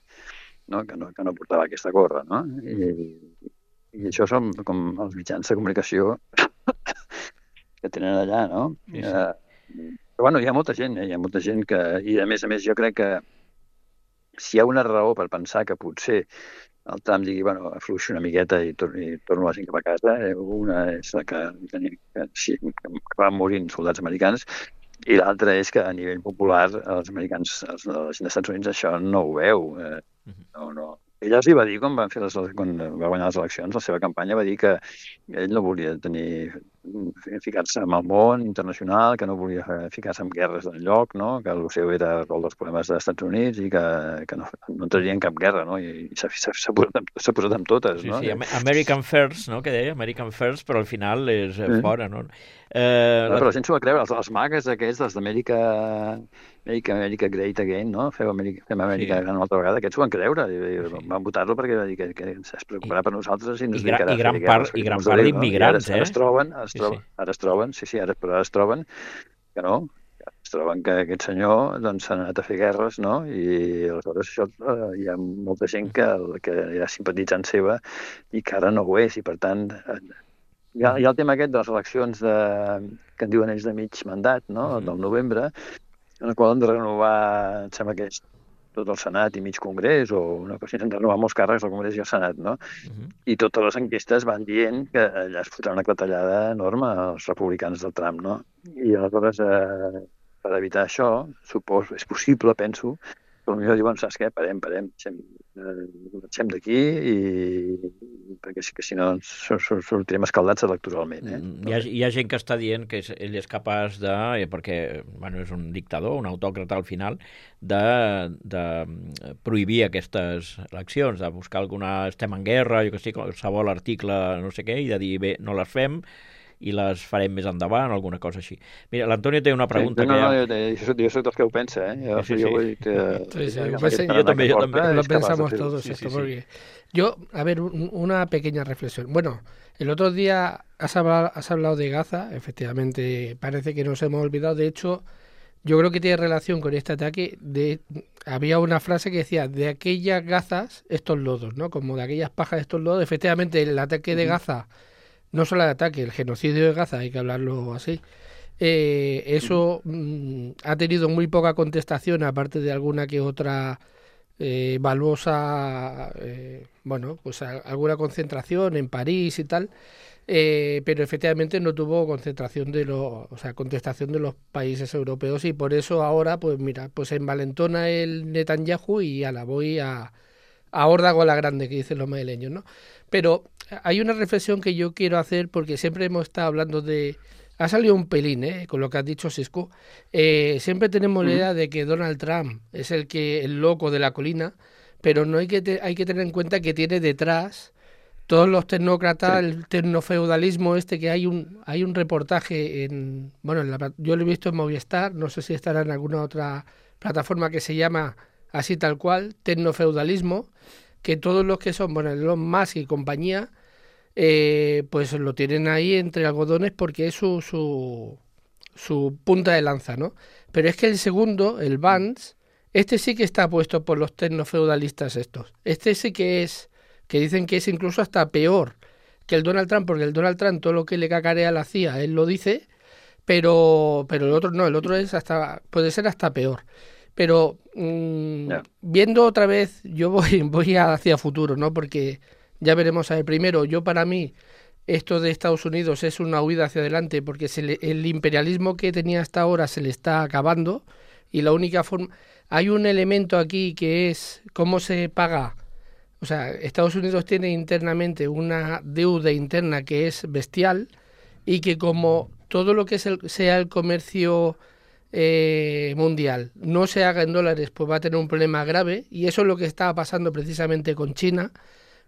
no? Que no portava aquesta gorra, no? I això són com els mitjans de comunicació que tenen allà, no? Sí, sí. Però bueno, hi ha molta gent que... I a més jo crec que si hi ha una raó per pensar que potser el Trump digui, bueno, afluixo una miqueta i torno a 5 cap a casa, una és la que van morint soldats americans, i l'altra és que a nivell popular els americans, la gent dels Estats Units, això no ho veu. No. Ella els hi va dir, quan va guanyar les eleccions, la seva campanya va dir que ell no volia ficar-se en el món internacional, que no volia ficar-se en guerres d'enlloc, no? Que el seu era resoldre els problemes dels Estats Units i que no entraria en cap guerra, no? I s'ha posat amb totes, no? Sí, American First, no? Que deia, American First, però al final és fora, no? Però la gent s'ho va creure, els magues aquests, els d'Amèrica Great Again, no? Fem Amèrica gran una altra vegada, aquests s'ho van creure, i van votar-lo perquè va dir que es preocuparà per nosaltres i no es dedicarà a fer guerres. I gran part d'immigrants, Ara es troben que no, es troben que aquest senyor s'ha anat a fer guerres, no? I aleshores això, hi ha molta gent que era simpatitzant seva i que ara no ho és, i per tant... Hi ha el tema aquest de les eleccions que en diuen ells de mig mandat, no? Del novembre, en el qual han de renovar, em sembla que és tot el Senat i mig Congrés, o una cosa, han de renovar molts càrrecs al Congrés i al Senat, no? I totes les enquestes van dient que allà es fotrà una clatellada enorme als republicans del Trump, no? I aleshores, per evitar això, és possible, penso, que potser diuen, saps què, parem, marxem d'aquí, perquè si no sortirem escaldats electoralment. Hi ha gent que està dient que ell és capaç de, perquè és un dictador, un autòcrata al final, de prohibir aquestes eleccions, de buscar estem en guerra, jo que sé, qualsevol article, no sé què, i de dir, bé, no les fem, i les farem més endavant, alguna cosa així. Mira, l'Antonio té una pregunta jo soc dels que ho pensa, Yo también. Lo pensamos todos esto, porque yo, a ver, una pequeña reflexión. Bueno, el otro día has hablado de Gaza, efectivamente parece que nos hemos olvidado, de hecho, yo creo que tiene relación con este ataque. Había una frase que decía, de aquellas gazas, estos lodos, ¿no? Como de aquellas pajas, estos lodos. Efectivamente, el ataque de Gaza, no solo el ataque, el genocidio de Gaza, hay que hablarlo así, eso ha tenido muy poca contestación, aparte de alguna que otra valuosa, pues alguna concentración en París y tal, pero efectivamente no tuvo contestación de los países europeos, y por eso ahora, pues mira, pues envalentona el Netanyahu y a la voy a órdago a la grande, que dicen los madrileños, ¿no? Pero hay una reflexión que yo quiero hacer, porque siempre hemos estado hablando de... Ha salido un pelín, con lo que has dicho, Sisco. Siempre tenemos la idea de que Donald Trump es el loco de la colina, pero no hay que tener en cuenta que tiene detrás todos los tecnócratas, el tecnofeudalismo que hay un reportaje yo lo he visto en Movistar, no sé si estará en alguna otra plataforma, que se llama así tal cual, tecnofeudalismo, que todos los que son, Elon Musk y compañía, pues lo tienen ahí entre algodones, porque es su punta de lanza, ¿no? Pero es que el segundo, el Vance, sí que está puesto por los tecnofeudalistas estos. Sí que dicen que es incluso hasta peor que el Donald Trump, porque el Donald Trump todo lo que le cacarea a la CIA, él lo dice, pero el otro no, el otro puede ser hasta peor. Pero viendo otra vez, yo voy hacia futuro, ¿no? Porque ya veremos. A ver, primero, para mí, esto de Estados Unidos es una huida hacia adelante, porque el imperialismo que tenía hasta ahora se le está acabando, y la única forma... Hay un elemento aquí que es cómo se paga. O sea, Estados Unidos tiene internamente una deuda interna que es bestial, y que como todo lo que sea el comercio mundial no se haga en dólares, pues va a tener un problema grave, y eso es lo que está pasando precisamente con China.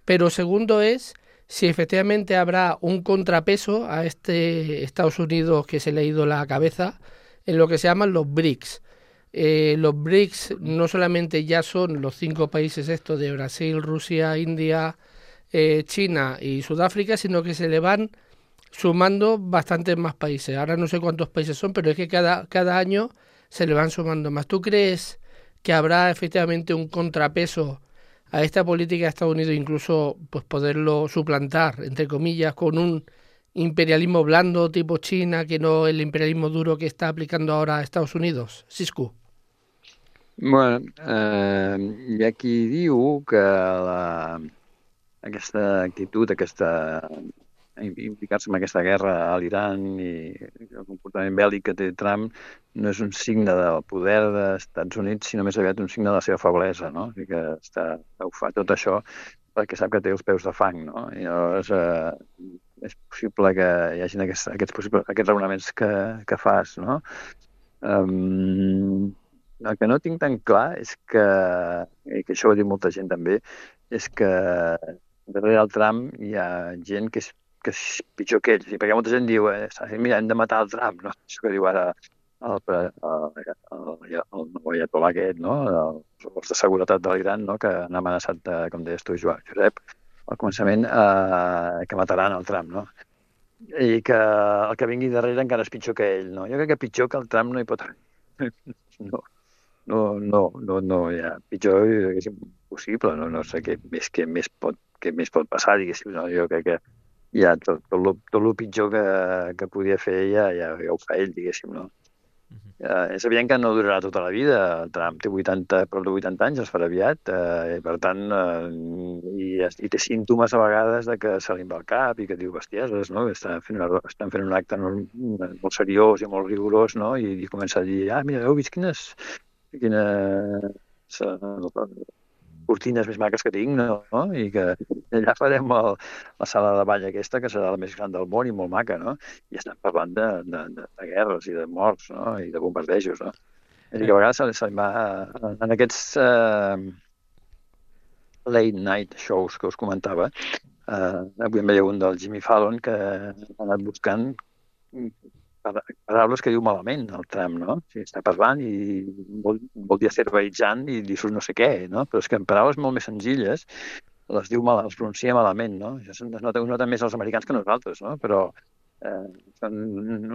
Pero segundo es si efectivamente habrá un contrapeso a este Estados Unidos que se le ha ido la cabeza en lo que se llaman los BRICS. Los BRICS no solamente ya son los 5 países estos de Brasil, Rusia, India, China y Sudáfrica, sino que se le van sumando bastantes más países. Ahora no sé cuántos países son, pero es que cada año se le van sumando más. ¿Tú crees que habrá efectivamente un contrapeso a esta política de Estados Unidos, incluso pues poderlo suplantar, entre comillas, con un imperialismo blando tipo China, que no el imperialismo duro que está aplicando ahora a Estados Unidos? Cisco. Bueno, hi ha qui diu que aquesta actitud, implicar-se en aquesta guerra a l'Iran i el comportament bèl·lic que té Trump no és un signe del poder dels Estats Units, sinó més aviat un signe de la seva feblesa, no? I que ho fa tot això perquè sap que té els peus de fang, no? I llavors és possible que hi hagi aquests raonaments que fas, no? El que no tinc tan clar és i que això ho ha dit molta gent també, és que darrere el Trump hi ha gent que és pitjor que ell. Perquè molta gent diu, mira, hem de matar el Trump, no? Això que diu ara el ayatollah aquest, no? Els forces de seguretat de l'Iran, no? Que han amenaçat, com deies tu, Josep, al començament, que mataran el Trump, no? I que el que vingui darrere encara és pitjor que ell, no? Jo crec que pitjor que el Trump no hi pot haver. No, ja, pitjor és impossible, no sé què més pot passar, diguéssim, no? Jo crec que ja tot el pitjor que podia fer ja ho fa ell, diguéssim, no? És evident que no durarà tota la vida. Trump té prop de 80 anys, es farà aviat, i per tant, i té símptomes a vegades de que se li va al cap i que diu bestieses, no? Estan fent un acte molt seriós i molt rigorós, no? I comença a dir, mira, heu vist quines cortines més maques que tinc, no? I que allà farem la sala de ball aquesta, que serà la més gran del món i molt maca, no? I estan parlant de guerres i de morts, no? I de bombardejos, no? És a dir, que a vegades se li va... En aquests late night shows que us comentava, avui em veia un del Jimmy Fallon que ha anat buscant paraules que diu malament el Trump, no? O sigui, està parlant i vol dir azerbaijan i li surt no sé què, no? Però és que en paraules molt més senzilles les pronuncia malament, no? Això es nota més els americans que nosaltres, no? Però són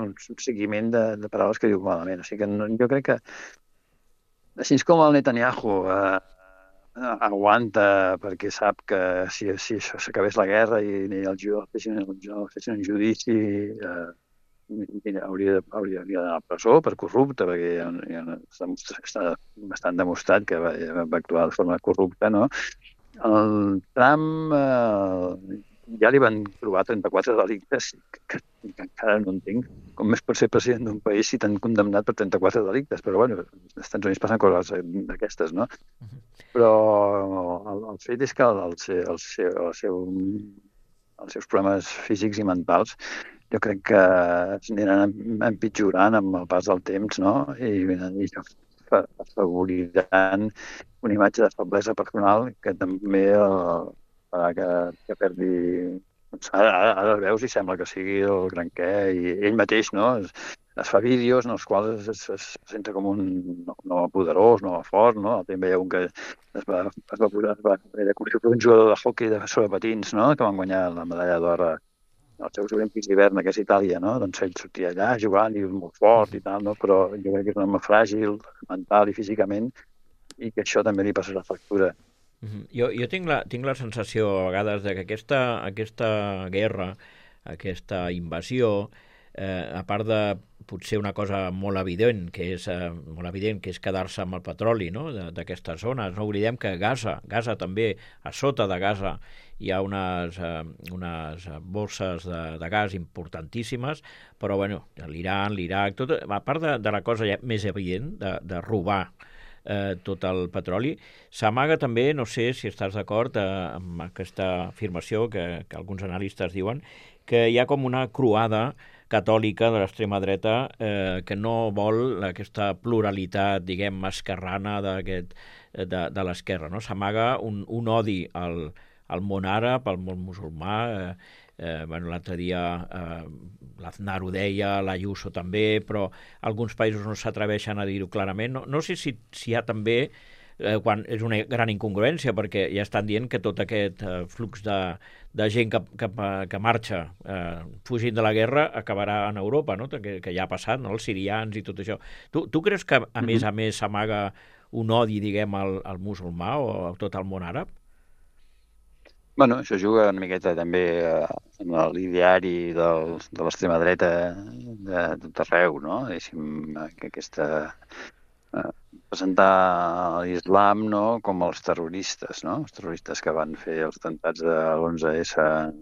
un seguiment de paraules que diu malament. O sigui que jo crec que així com el Netanyahu aguanta perquè sap que si això s'acabés la guerra i els jueus fessin un judici hauria d'anar a la presó per corrupte, perquè està bastant demostrat que va actuar de forma corrupta, no? El Trump ja li van trobar 34 delictes que encara no entenc com més pot ser president d'un país si t'han condemnat per 34 delictes, però bueno, als Estats Units passen coses d'aquestes, no? Però el fet és que els seus problemes físics i mentals jo crec que s'aniran empitjorant amb el pas del temps, no? I afavoriran una imatge de feblesa personal que també farà que perdi... Ara el veus i sembla que sigui el gran què, i ell mateix, no? Es fa vídeos en els quals es presenta com un home poderós, un home fort, no? També hi ha un que es va com si fos un jugador de hoquei sobre patins, no? Que van guanyar la medalla d'or als Jocs Olímpics d'hivern, que és Itàlia, no? Doncs ell sortia allà jugant i molt fort i tal, no? Però jo crec que és un home fràgil, mental i físicament, i que això també li passarà factura. Jo tinc la sensació a vegades de que aquesta guerra, aquesta invasió, a part de potser una cosa molt evident, que és quedar-se amb el petroli, no? D'aquestes zones. No oblidem que Gaza també, a sota de Gaza, hi ha unes borses de gas importantíssimes, però bueno, l'Iran, l'Iraq, tot, a part de la cosa ja més evident de robar tot el petroli, s'amaga també, no sé si estàs d'acord amb aquesta afirmació que alguns analistes diuen, que hi ha com una croada catòlica de l'extrema dreta que no vol aquesta pluralitat, diguem, esquerrana de l'esquerra, no? S'amaga un odi al món àrab, al món musulmà. L'altre dia l'Aznar ho deia, l'Ayuso també, però alguns països no s'atreveixen a dir-ho clarament. No sé si hi ha també quan és una gran incongruència, perquè ja estan dient que tot aquest flux de gent que marxa fugint de la guerra acabarà en Europa, no? Que ja ha passat, no? Els sirians i tot això. Tu creus que, a més s'amaga un odi, diguem, al musulmà o a tot el món àrab? Bueno, això juga una miqueta també en l'ideari de l'extrema dreta de tot arreu, no? Deixi'm que presentar l'islam, no?, com els terroristes, no? Els terroristes que van fer els atemptats de l'11S als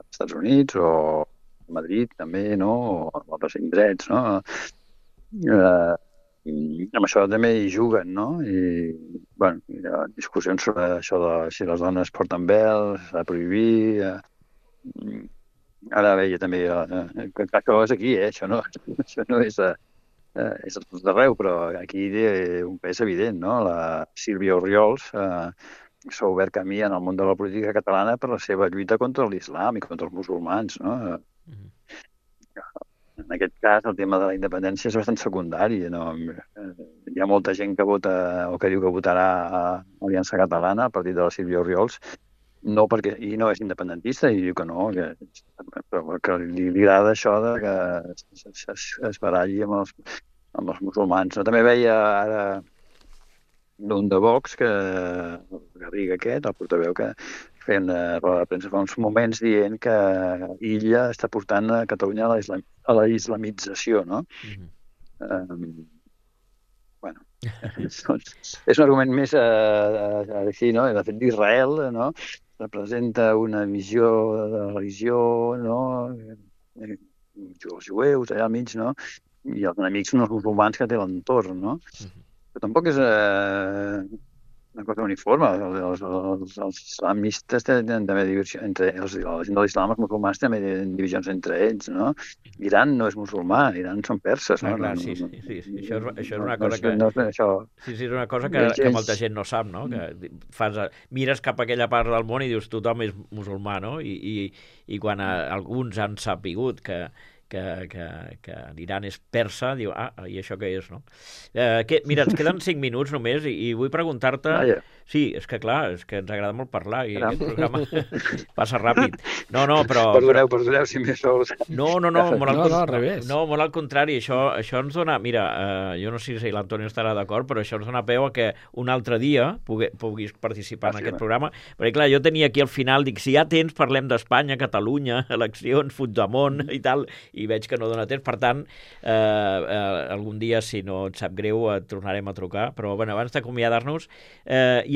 Estats Units o a Madrid també, no?, o a altres indrets, no? Amb això també hi juguen, no? I, bueno, hi ha discussions sobre això de si les dones porten vel, s'ha de prohibir. Ara veia també que això és aquí, això no és a tot arreu, però aquí un pes evident, no? La Sílvia Orriols s'ha obert camí en el món de la política catalana per la seva lluita contra l'islam i contra els musulmans, no? En aquest cas, el tema de la independència és bastant secundari. No? Hi ha molta gent que vota o que diu que votarà a Aliança Catalana, a partir de la Sílvia Orriols, no perquè i no és independentista, i diu que no, però que li agrada això de que es baralli amb els musulmans. No? També veia ara d'un de Vox, el Garriga aquest, el portaveu, que feia una roda de premsa fa uns moments dient que Illa està portant a Catalunya a la islamització, no? Bueno, és un argument més així, no? De fet, d'Israel, no? Representa una visió de la religió, no? Els jueus allà al mig, no? I els enemics són els musulmans que té l'entorn, no? Però tampoc és una cosa uniforme. Els islamistes tenen també divisió entre la gent de l'islam, els musulmans també tenen divisions entre ells, no? Iran no és musulmà, Iran són perses, no? Clar, sí. Això és una cosa que... Sí, és una cosa que molta gent no sap, no? Que mires cap a aquella part del món i dius tothom és musulmà, no? I quan alguns han sapigut que l'Iran és persa, diu, i això què és, no? Mira, ens queden 5 minuts només i vull preguntar-te... Sí, és que clar, és que ens agrada molt parlar i aquest programa passa ràpid. No, però... Perdoneu si m'he sols. No, al revés. No, molt al contrari, això ens dona... Mira, jo no sé si l'Antonio estarà d'acord, però això ens dona peu a que un altre dia puguis participar en aquest programa, perquè clar, jo tenia aquí al final, dic, si hi ha temps parlem d'Espanya, Catalunya, eleccions, Puigdemont i tal, i veig que no dona temps, per tant, algun dia, si no et sap greu, et tornarem a trucar, però bueno, abans d'acomiadar-nos,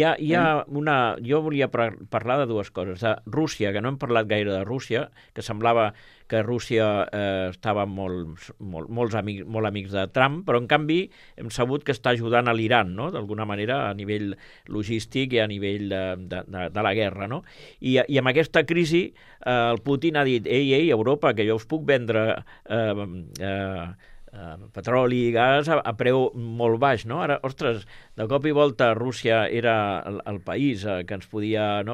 jo volia parlar de dues coses, de Rússia, que no hem parlat gaire de Rússia, que semblava que Rússia estava molt amics de Trump, però en canvi hem sabut que està ajudant a l'Iran, no? D'alguna manera, a nivell logístic i a nivell de la guerra, no? I amb aquesta crisi el Putin ha dit, ei, Europa, que jo us puc vendre petroli i gas a preu molt baix, no? Ara, ostres, de cop i volta Rússia era el país que ens podia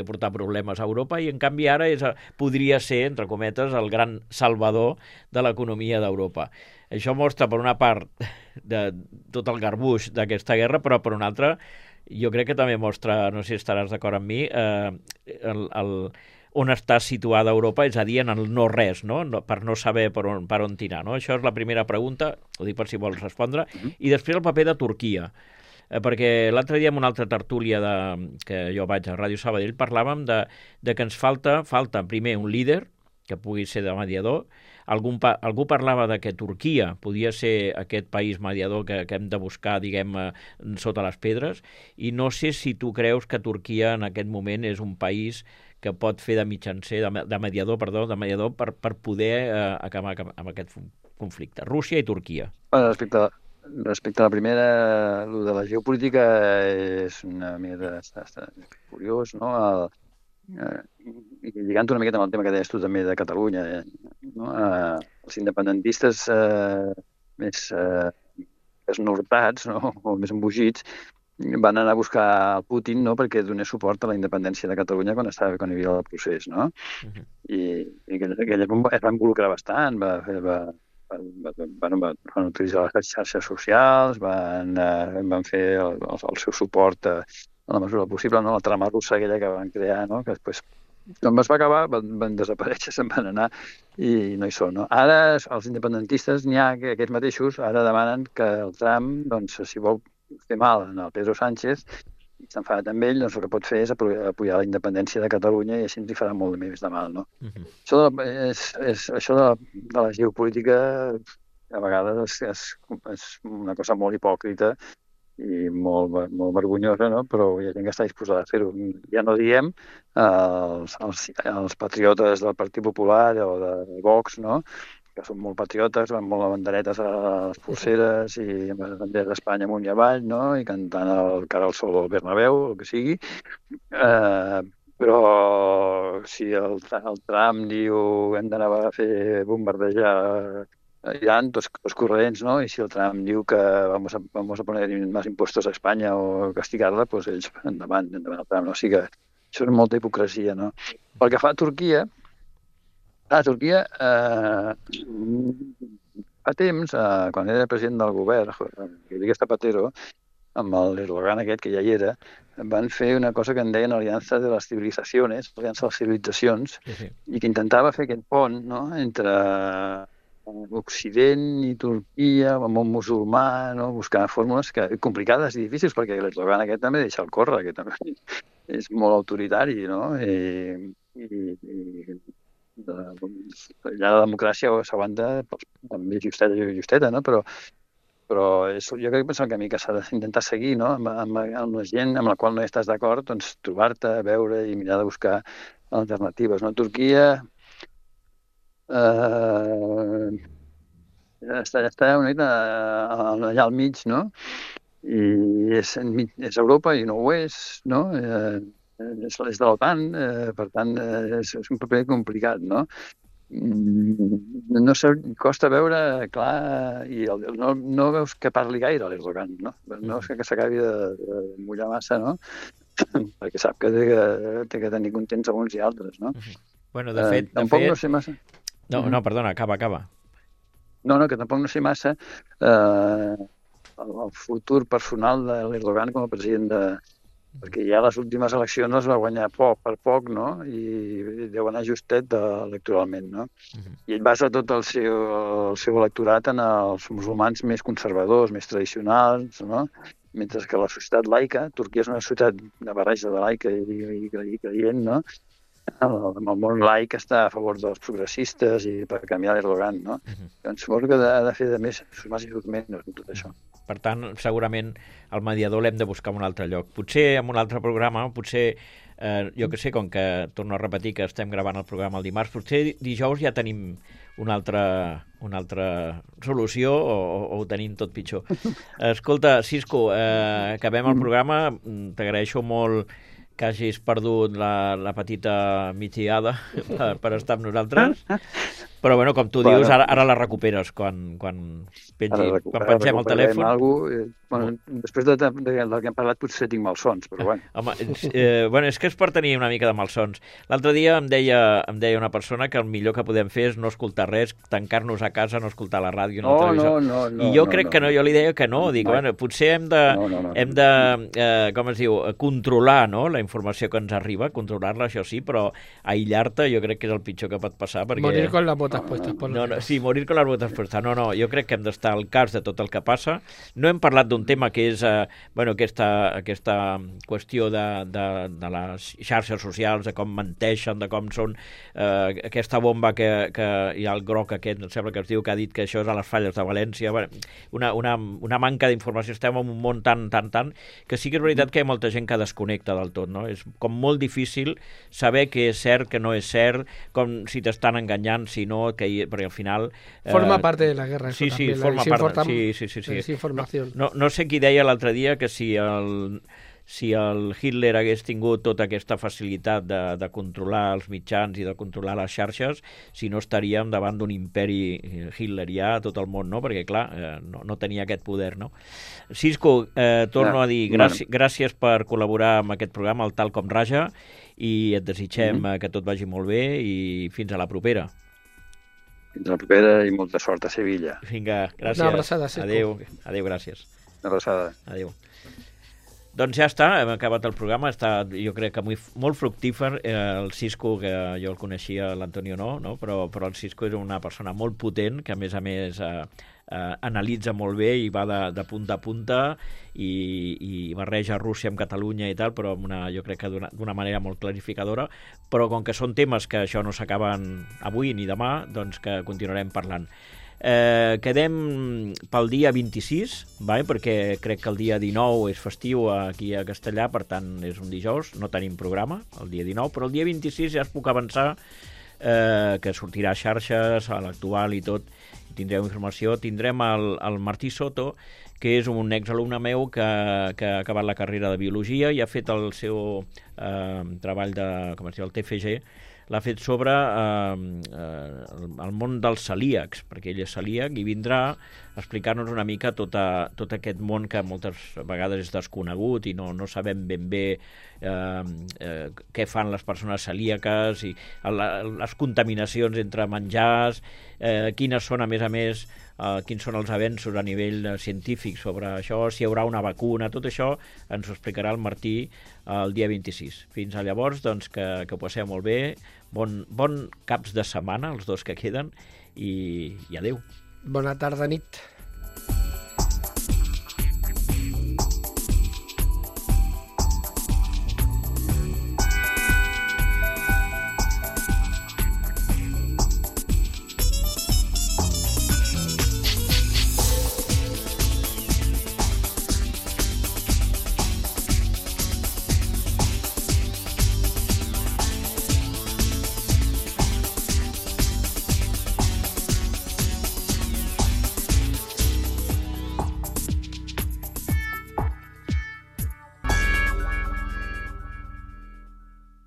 portar problemes a Europa i en canvi ara podria ser, entre cometes, el gran salvador de l'economia d'Europa. Això mostra, per una part, de tot el garbuix d'aquesta guerra, però per una altra, jo crec que també mostra, no sé si estaràs d'acord amb mi, on està situada Europa, és a dir, en el no-res, no? Per no saber per on tirar, no? Això és la primera pregunta, ho dic per si vols respondre, i després el paper de Turquia, perquè l'altre dia en una altra tertúlia que jo vaig a Ràdio Sabadell parlàvem de que ens falta primer un líder que pugui ser de mediador. Algú parlava de que Turquia podia ser aquest país mediador que hem de buscar, diguem, sota les pedres, i no sé si tu creus que Turquia en aquest moment és un país que pot fer de mitjancer, de mediador per poder acabar amb aquest conflicte. Rússia i Turquia. Respecte a la primera, el de la geopolítica és una mica curiós, no? I lligant una miqueta amb el tema que deies tu també de Catalunya, no? Els independentistes més esnortats, no? O més embogits, van anar a buscar el Putin, no?, perquè donés suport a la independència de Catalunya quan hi havia el procés, no? I es va involucrar bastant, va van utilitzar les xarxes socials, van fer el seu suport a la mesura possible, no? La trama russa aquella que van crear, no? Que després, quan es va acabar, van desaparèixer, se'n van anar i no hi són, no? Ara els independentistes, n'hi ha que aquests mateixos, ara demanen que el Trump, doncs, si vol fer mal al Pedro Sánchez, i s'ha enfadat amb ell, doncs el que pot fer és apoyar la independència de Catalunya i així ens hi farà molt més de mal, no? Això de la geopolítica a vegades és una cosa molt hipòcrita i molt vergonyosa, no? Però hi ha gent que està disposada a fer-ho. Ja no diem els patriotes del Partit Popular o de Vox, no? Que són molt patriotes, van molt a banderetes a les polseres i amb les banderes d'Espanya amunt i avall, no? I cantant el cara al sol al Bernabéu, el que sigui. Però si el Trump diu hem d'anar a fer bombardejar Irán, los corrents, no? I si el Trump diu que vamos a poner más impuestos a Espanya o castigar-la, doncs ells endavant el Trump, no? O sigui que això és molta hipocresia, no? Pel que fa a Turquia, fa temps, quan era president del govern, Rodríguez Zapatero, amb l'Erdogan aquest, que ja hi era, van fer una cosa que en deien Aliança de les Civilizaciones, Aliança de les Civilitzacions, i que intentava fer aquest pont, no?, entre Occident i Turquia, el món musulmà, no?, buscar fórmules complicades i difícils, perquè l'Erdogan aquest també deixa el córrer, que també és molt autoritari, no?, allà la democràcia s'aguanta amb justeta, no? Però jo crec que és el camí que s'ha d'intentar seguir, no? Amb la gent amb la qual no estàs d'acord, doncs trobar-te, veure i mirar de buscar alternatives, no? Turquia està una mica allà al mig, no? I és Europa i no ho és, no? És de l'OTAN, per tant, és un paper complicat, no? No sé, costa veure clar i no veus que parli gaire l'Erdogan, no? No és que s'acabi de mullar massa, no? Perquè sap que té que tenir contents a uns i altres, no? Bueno, de fet... Tampoc no sé massa... No, perdona, acaba. No, que tampoc no sé massa el futur personal de l'Erdogan com a president perquè ja les últimes eleccions les va guanyar per poc, no? I deu anar justet electoralment, no? I ell basa tot el seu electorat en els musulmans més conservadors, més tradicionals, no? Mentre que la societat laica, Turquia és una societat de barreja de laica i creient, no? El món laic està a favor dels progressistes i per canviar l'Erdogan, no? Doncs suposo que ha de fer de més, més i menys en tot això. Per tant, segurament el mediador l'hem de buscar en un altre lloc. Potser en un altre programa, potser, jo que sé, com que torno a repetir que estem gravant el programa el dimarts, potser dijous ja tenim una altra solució o ho tenim tot pitjor. Escolta, Cisco, acabem el programa. T'agraeixo molt que hagis perdut la petita migdiada per estar amb nosaltres. Però, bueno, com tu dius, ara la recuperes quan pengem el telèfon. Després del que hem parlat potser tinc malsons, però bueno. Home, és que és per tenir una mica de malsons. L'altre dia em deia una persona que el millor que podem fer és no escoltar res, tancar-nos a casa, no escoltar la ràdio, no el televisor. No, I jo crec que no, jo li deia que no. Dic, bueno, potser hem de com es diu, controlar, no?, la informació que ens arriba, controlar-la, això sí, però aïllar-te jo crec que és el pitjor que pot passar, perquè... Morir con las botas puestas. Sí, morir con las botas puestas. No, jo crec que hem d'estar al cas de tot el que passa. No hem parlat d'un tema que és aquesta qüestió de les xarxes socials, de com menteixen, de com són aquesta bomba que hi ha el groc aquest, em sembla que es diu, que ha dit que això és a les falles de València. Una manca d'informació. Estem en un món tan, que sí que és veritat que hi ha molta gent que desconnecta del tot, no? És com molt difícil saber què és cert, què no és cert, com si t'estan enganyant, si no, perquè al final... Forma parte de la guerra. Sí, forma part. Sí. Desinformació. No sé qui deia l'altre dia que si el Hitler hagués tingut tota aquesta facilitat de controlar els mitjans i de controlar les xarxes, si no estaríem davant d'un imperi hitlerià a tot el món, no? Perquè, clar, no tenia aquest poder, no? Cisco, torno a dir gràcies per col·laborar amb aquest programa, el Tal com Raja, i et desitgem que tot vagi molt bé i fins a la propera. Fins la propera i molta sort a Sevilla. Vinga, gràcies. Una abraçada, Cisco. Adéu, gràcies. Una abraçada. Adéu. Doncs ja està, hem acabat el programa, està jo crec que molt fructífer. El Cisco, que jo el coneixia, l'Antonio no? Però el Cisco és una persona molt potent, que a més analitza molt bé i va de punta a punta i barreja Rússia amb Catalunya i tal, però jo crec que d'una manera molt clarificadora, però com que són temes que això no s'acaben avui ni demà, doncs que continuarem parlant. Quedem pel dia 26, perquè crec que el dia 19 és festiu aquí a Castellà, per tant és un dijous, no tenim programa el dia 19, però el dia 26 ja es puc avançar que sortirà a xarxes, a l'Actual i tot, i tindreu informació. Tindrem el Martí Soto, que és un exalumne meu que ha acabat la carrera de Biologia i ha fet el seu treball el TFG, l'ha fet sobre el món dels celíacs, perquè ell és celíac i vindrà a explicar-nos una mica tot aquest món que moltes vegades és desconegut i no sabem ben bé què fan les persones celíaques i les contaminacions entre menjars, quines són, a més, quins són els avenços a nivell científic sobre això, si hi haurà una vacuna, tot això ens ho explicarà el Martí el dia 26. Fins a llavors, doncs, que ho passeu molt bé, bon caps de setmana, els dos que queden, i adéu. Bona tarda, nit.